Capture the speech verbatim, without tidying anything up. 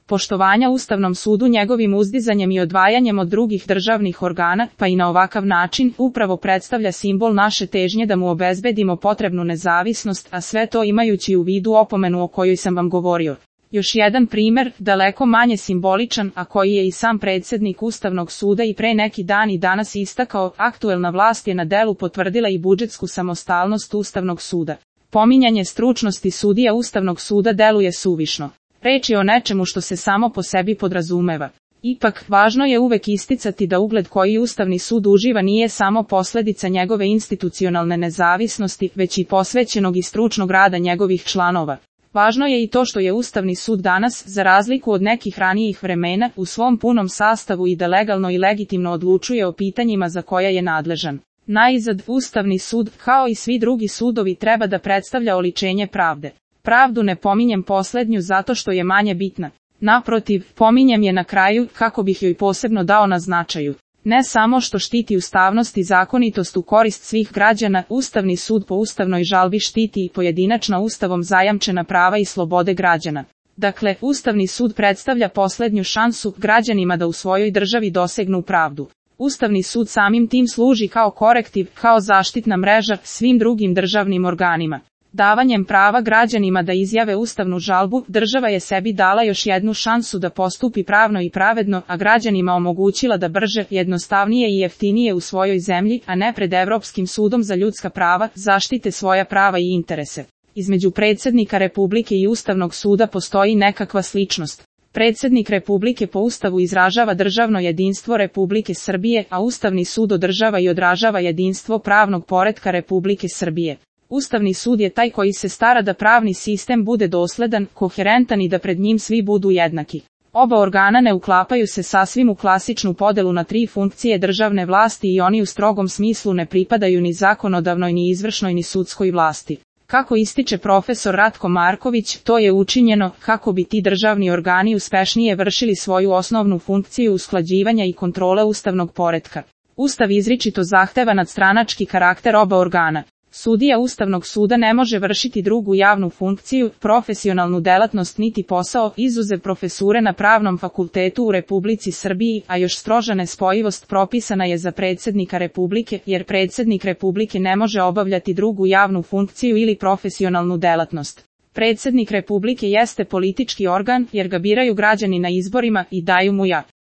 poštovanja Ustavnom sudu njegovim uzdizanjem i odvajanjem od drugih državnih organa, pa i na ovakav način, upravo predstavlja simbol naše težnje da mu obezbedimo potrebnu nezavisnost, a sve to imajući u vidu opomenu o kojoj sam vam govorio. Još jedan primer, daleko manje simboličan, a koji je i sam predsjednik Ustavnog suda i pre neki dan i danas istakao, aktuelna vlast je na delu potvrdila i budžetsku samostalnost Ustavnog suda. Pominjanje stručnosti sudija Ustavnog suda deluje suvišno. Reč je o nečemu što se samo po sebi podrazumeva. Ipak, važno je uvek isticati da ugled koji Ustavni sud uživa nije samo posljedica njegove institucionalne nezavisnosti, već i posvećenog i stručnog rada njegovih članova. Važno je i to što je Ustavni sud danas, za razliku od nekih ranijih vremena, u svom punom sastavu i da legalno i legitimno odlučuje o pitanjima za koja je nadležan. Najzad, Ustavni sud, kao i svi drugi sudovi, treba da predstavlja oličenje pravde. Pravdu ne pominjem poslednju zato što je manje bitna. Naprotiv, pominjem je na kraju, kako bih joj posebno dao na značaju. Ne samo što štiti ustavnost i zakonitost u korist svih građana, Ustavni sud po ustavnoj žalbi štiti i pojedinačna Ustavom zajamčena prava i slobode građana. Dakle, Ustavni sud predstavlja poslednju šansu građanima da u svojoj državi dosegnu pravdu. Ustavni sud samim tim služi kao korektiv, kao zaštitna mreža svim drugim državnim organima. Davanjem prava građanima da izjave ustavnu žalbu, država je sebi dala još jednu šansu da postupi pravno i pravedno, a građanima omogućila da brže, jednostavnije i jeftinije u svojoj zemlji, a ne pred Evropskim sudom za ljudska prava, zaštite svoja prava i interese. Između predsjednika Republike i Ustavnog suda postoji nekakva sličnost. Predsjednik Republike po Ustavu izražava državno jedinstvo Republike Srbije, a Ustavni sud održava i odražava jedinstvo pravnog poretka Republike Srbije. Ustavni sud je taj koji se stara da pravni sistem bude dosledan, koherentan i da pred njim svi budu jednaki. Oba organa ne uklapaju se sasvim u klasičnu podelu na tri funkcije državne vlasti i oni u strogom smislu ne pripadaju ni zakonodavnoj ni izvršnoj ni sudskoj vlasti. Kako ističe profesor Ratko Marković, to je učinjeno kako bi ti državni organi uspešnije vršili svoju osnovnu funkciju usklađivanja i kontrole ustavnog poretka. Ustav izričito zahteva nadstranački karakter oba organa. Sudija Ustavnog suda ne može vršiti drugu javnu funkciju, profesionalnu delatnost niti posao, izuzev profesure na Pravnom fakultetu u Republici Srbiji, a još stroža nespojivost propisana je za predsjednika Republike, jer predsjednik Republike ne može obavljati drugu javnu funkciju ili profesionalnu delatnost. Predsjednik Republike jeste politički organ, jer ga biraju građani na izborima i daju mu ja.